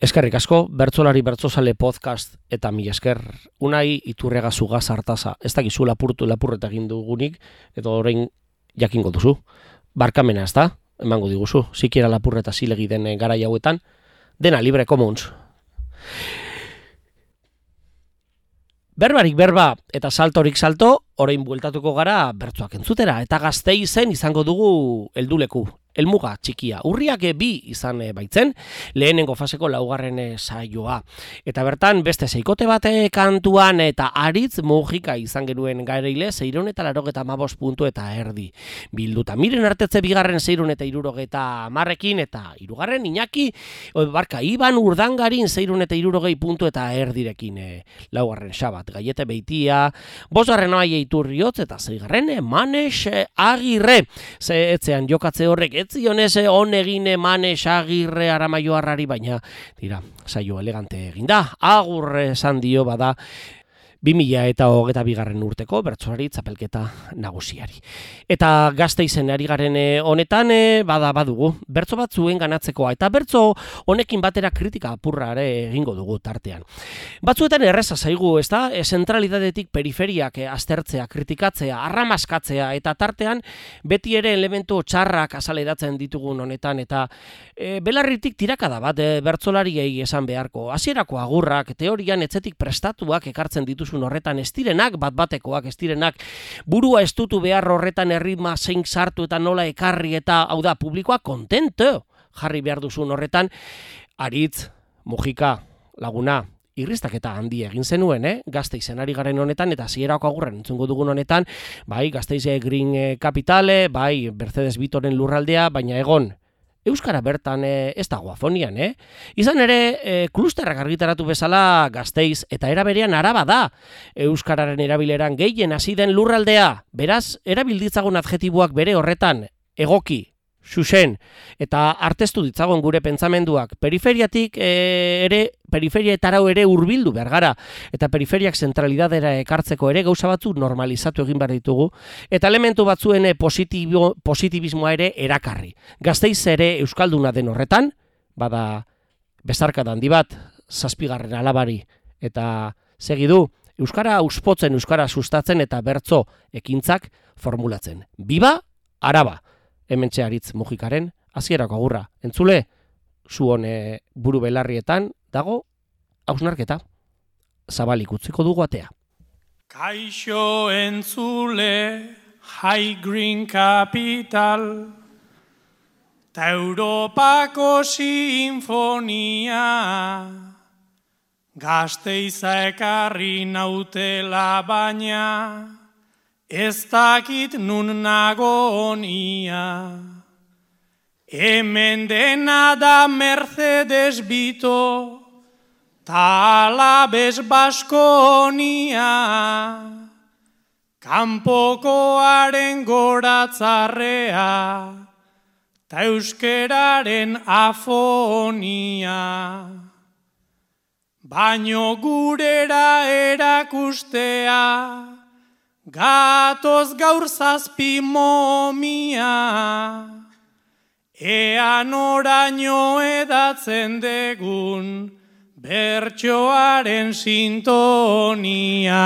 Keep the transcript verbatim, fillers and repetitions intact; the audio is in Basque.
Eskerrik asko, bertzolari bertzozale podcast eta mi esker. Unai Iturrega Zugaz Artaza. Ez dakizu lapurtu lapurreta egin dugunik, edo orain jakingo duzu. Barkamena ez da, emango diguzu. Sikiera lapurreta zilegi den garai hauetan. Dena libre commons. Berbarik berba eta saltorik salto, orain bueltatuko gara bertsoak entzutera. Eta Gasteizen izango dugu helduleku. Elmuga txikia. Urriak bi izan baitzen, lehenengo faseko laugarren saioa. Eta bertan beste seikote bate kantuan eta aritz mugika izan genuen gareile seiehun eta laurogeita hamabost puntu eta erdi. Bilduta miren artetze bigarren seiehun eta hirurogeita hamarrekin eta hirugarren Iñaki, barka, Iban Urdangarin seiehun eta hirurogei puntu eta erdirekin. Laugarren Xabat Gaiete Beitia, bosgarren Oaia Iturriotz eta seigarren Manes Agirre. Ze etzean jokatze horrek zionez on egin Manes Agirre Aramaioarrari, baina dira, saio elegante eginda. Agur esan dio bada bi mila eta hogeita bigarren urteko bertsolari txapelketa nagusiari. Eta Gasteizen ari garen honetan bada badugu bertso bat zuen ganatzekoa, eta bertso honekin batera kritika apurra ere egingo dugu tartean. Batzuetan erreza zaigu, ezta? Zentralidadetik periferiak aztertzea, kritikatzea, arramaskatzea, eta tartean beti ere elementu txarrak azaleratzen ditugun honetan, eta e, belarritik tirakada bat e, bertsolariei esan beharko. Hasierako agurrak, teorian etzetik prestatuak ekartzen dituzu horretan estirenak, bat-batekoak estirenak, burua estutu behar horretan erritma zein sartu eta nola ekarri, eta hau da, publikoa kontento jarri behar duzun horretan. Aritz, mugika, laguna, irristaketa handi egin zenuen, eh? Gasteizen ari garen honetan, eta zierako agurren entzungo dugun honetan, bai, Gasteize Green Capitale, bai, Mercedes Vitoren lurraldea, baina egon, euskara bertan e, ez dago afonian, eh? Izan ere, e, klusterrak argitaratu bezala Gasteiz eta eraberean Araba da. Euskararen erabileran gehien hasi den lurraldea. Beraz, erabilditzagun adjetiboak bere horretan, egoki, xuxen, eta arteztu ditzagon gure pentsamenduak. Periferiatik e, ere, periferiaetarau ere hurbildu behar gara, eta periferiak zentralidadera ekartzeko ere gauza batzu normalizatu egin behar ditugu, eta elementu batzuen positibo, positibismoa ere erakarri. Gasteiz ere euskalduna den horretan, bada bezarka handi bat, zazpigarren alabari, eta segidu, euskara auspotzen, euskara sustatzen eta bertso ekintzak formulatzen. Biba, Araba! Hementxe Aritz mugikaren hasierako agurra. Entzule, zu hone buru belarrietan dago hausnarketa. Zabalik utziko dugu atea. Kaixo entzule, High Green Capital, ta Europako sinfonia, Gasteiza ekarri nautela baina, ez dakit nun nagon ia. Hemen dena da Mercedes Vito, ta Alabes Baskonia. Kanpokoaren goratzarrea, ta euskeraren afonia. Baino gurera erakustea, gatoz gaur zazpi momia, ean oraino edatzen degun bertsoaren sintonia.